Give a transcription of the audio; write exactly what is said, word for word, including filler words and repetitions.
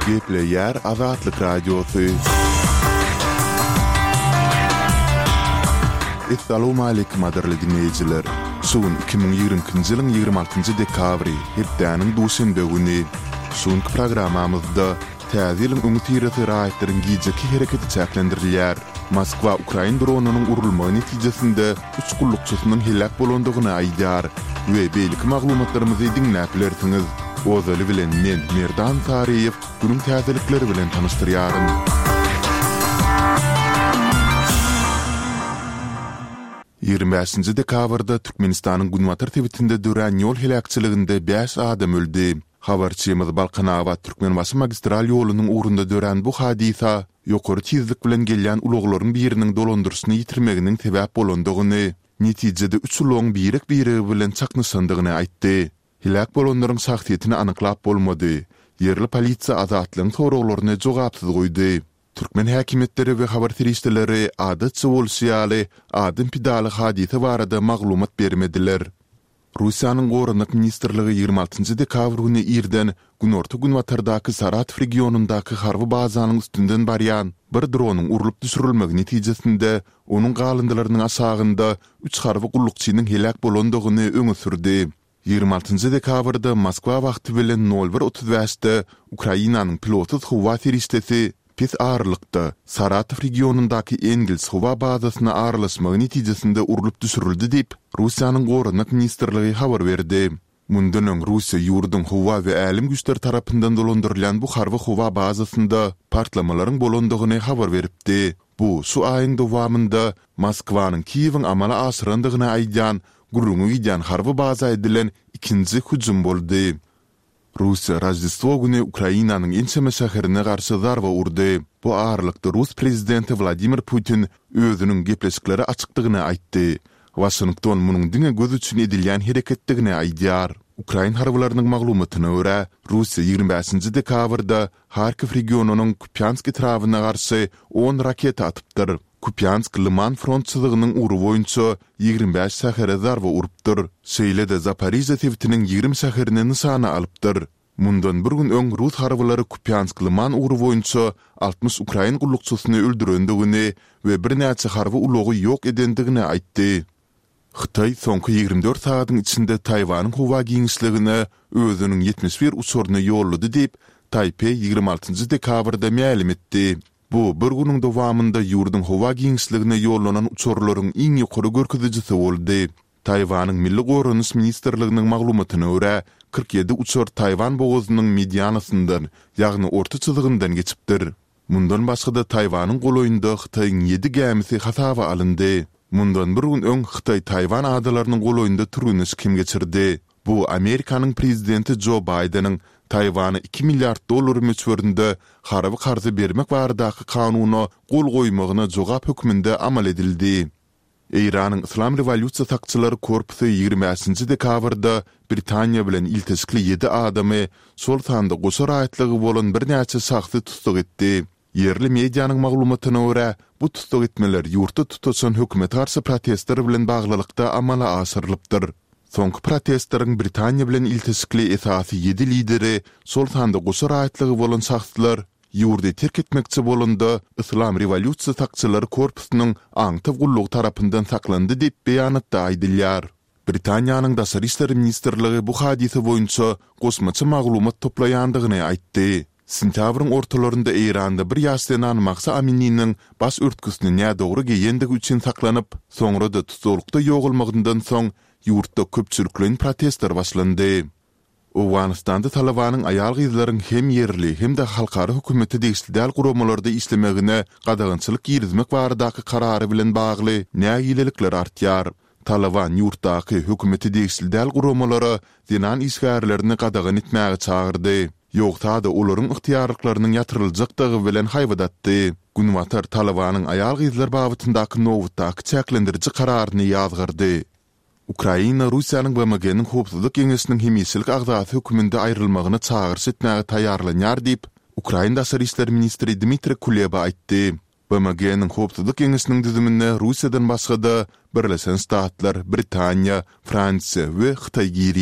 Gepleýär Azatlyk Radiosy. Essalawmaleýkim gadyrly diňleýjiler! Şu gün iki müň ýigrimi ikinji ýylyň ýigrimi altynjy dekabry, hepdäniň duşenbe güni. Şu günki programmamyzda Täze ýylyň öňüsyrasy raýatlaryň gijeki hereketi çäklendirilýär. Moskwa ukrain dronynyň urulmagy netijesinde üç gullukçysynyň heläk bolandygyny aýdýar we beýleki maglumatlarymyzy diňläp bilersiňiz. Ozaly bilen men, Merdan Saryýew, günüň täzelikleri bilen tanyşdyrýaryn. Ýigrimi bäşinji dekabrda Türkmenistanyň günbatar sebitinde dörän ýol heläkçiliginde bäş adam öldi. Habarçymyz Balkanabat-Türkmenbaşy magistral ýolunyň ugrunda dörän bu hadysa ýokary tizlik bilen gelýän ulaglaryň biriniň dolandyryşyny ýitirmeginiň sebäp bolandygyny, netijede üç ulagyň birek-biregi bilen çaknyşandygyny aýtdy. Heläk bolanlaryň şahsyýetini anyklap bolmady. Ýerli polisiýa Azatlygyň soraglaryny jogapsyz goýdy. Türkmen häkimiýetleri we habar serişdeleri adatça bolşy ýaly adam pidaly hadysa barada maglumat bermediler. Russiýanyň Goranmak ministrligi ýigrimi altynjy dekabr güni irden günorta-günbatardaky Saratow regionyndaky harby bazanyň üstünden barýan bir dronyň urlup düşürilmegi netijesinde onuň galyndylarynyň aşagynda üç harby gullukçynyň heläk bolandygyny öňe sürdi. Ýigrimi altynjy dekabrda Moskwa wagty bilen nol bir otuz bäşde Ukrainanyň pilotsyz howa serişdesi Pes aralykda, Saratow regionyndaky Engels howa bazasyna aralaşmagy netijesinde urlup düşürildi diýip, Russiýanyň Goranmak ministrligi habar berdi. Mundan öň Russiýa ýurduň howa we älem güýçleri tarapyndan dolandyrylýan bu harby howa bazasynda partlamalaryň bolandygyny habar beripdi. Bu şu aýyň dowamynda Moskwanyň Kiýewiň amala aşyrandygyny aýdýan gürrüňi gidýän harby baza edilen ikinji hüjüm boldy. Russiýa Roždestwo güni Ukrainanyň ençeme şäherine garşy zarba urdy. Bu aralykda rus prezidenti Wladimir Putin özüniň gepleşiklere açykdygyny aýtdy. Waşington munuň diňe göz üçin edilýän hereketdigini aýdýar. Ukrain harbylarynyň maglumatyna görä, Russiýa ýigrimi bäşinji dekabrda Harkiw regionynyň Kupýansk etrabyna garşy on raketa atypdyr. Kupýansk Lyman front çyzygynyň ugry boýunça ýigrimi bäş şähere zarba urupdyr. Şeýle-de Zaporižýa sebitiniň ýigrimi şäherini nyşana alypdyr. Mundan bir gün öň rus harbylary Kupýansk Lyman ugry boýunça altmyş ukrain gullukçysyny öldürendigini we birnäçe harby ulagy ýok edendigini aýtdy. Hytaý soňky ýigrimi dört sagadyň içinde Taýwanyň howa giňişligine özüniň ýetmiş bir uçaryny ýollady diýip, Taýpeý ýigrimi altynjy dekabrda mälim etdi. Bu bir günüň dowamynda ýurduň howa giňişligine ýollanan uçarlaryň iň ýokary görkezijisi boldy. Taýwanyň Milli goranyş ministrliginiň maglumatyna görä, kyrk ýedi uçar Taýwan bogazynyň medianasyndan, ýagny orta çyzygyndan geçipdir. Mundan başga-da Taýwanyň golaýynda Hytaýyň ýedi gämisi hasaba alyndy. Mundan bir gün öň Hytaý Taýwan adalarynyň golaýynda türgenleşik hem geçirdi. Bu Amerikanyň prezidenti Jo Baýdeniň Taýwana iki milliard dollar möçberinde harby karzy bermek baradaky kanuna gol goýmagyna jogap hökmünde amal edildi. Eýranyň Yslam rewolýusiýa sakçylary korpusy ýigrimi bäşinji dekabrda Britaniýa bilen ilteşikli ýedi adamy, şol sanda goşa raýatlygy bolan birnäçe şahsy tussag etdi. Ýerli medianyň maglumatyna görä, bu tussag etmeler ýurtda tutaşan hökümete garşy protestler bilen baglylykda amala aşyrylypdyr. Soňky protestleriň Britaniýa bilen ilteşikli esasy ýedi lideri, şol sanda goşa raýatlygy bolan şahslar, Ýurdy terk etmekçi bolanda, Yslam rewolýusiýa sakçylary korpusynyň aňtaw gullugy tarapyndan saklandy diýip, beýanatda aýdylýar. Britaniýanyň Daşary işler ministrligi bu hadysa boýunça goşmaça maglumat toplaýandygyny aýtdy. Sentýabryň ortalarynda Eýranda bir ýaş zenan Mahsa Amininiň baş örtgüsini nädogry geýendigi üçin saklanyp, soňra-da tussaglykda ýogalmagyndan soň, ýurtda köpçülikleýin protestler başlandy. Owganystanda Talybanyň aýal-gyzlaryň hem ýerli, hem-de halkara hökümete degişli däl guramalarda işlemegine gadagançylyk girizmek baradaky karary bilen bagly nägilelikler artýar. Talyban ýurtdaky hökümete degişli däl guramalara zenan işgärlerini gadagan etmäge çagyrdy. Ýogsa-da olaryň ygtyýarlyklarynyň ýatyryljakdygy bilen haýbat atdy. Günbatar Talybanyň aýal-gyzlar babatyndaky nobatdaky çäklendiriji kararyny ýazgardy. Ukraina Russiýanyň BMG-niň Howpsuzlyk Geňeşiniň hemişelik agzasy hökmünde aýrylmagyna çagyryş etmäge taýýarlanýar diýip, ukrain daşary işler ministri Dmitriý Kuleba aýtdy. BMG-niň Howpsuzlyk Geňeşiniň düzümine Russiýadan başga-da, Birleşen Ştatlar, Britaniýa, Fransiýa we Hytaý girýär.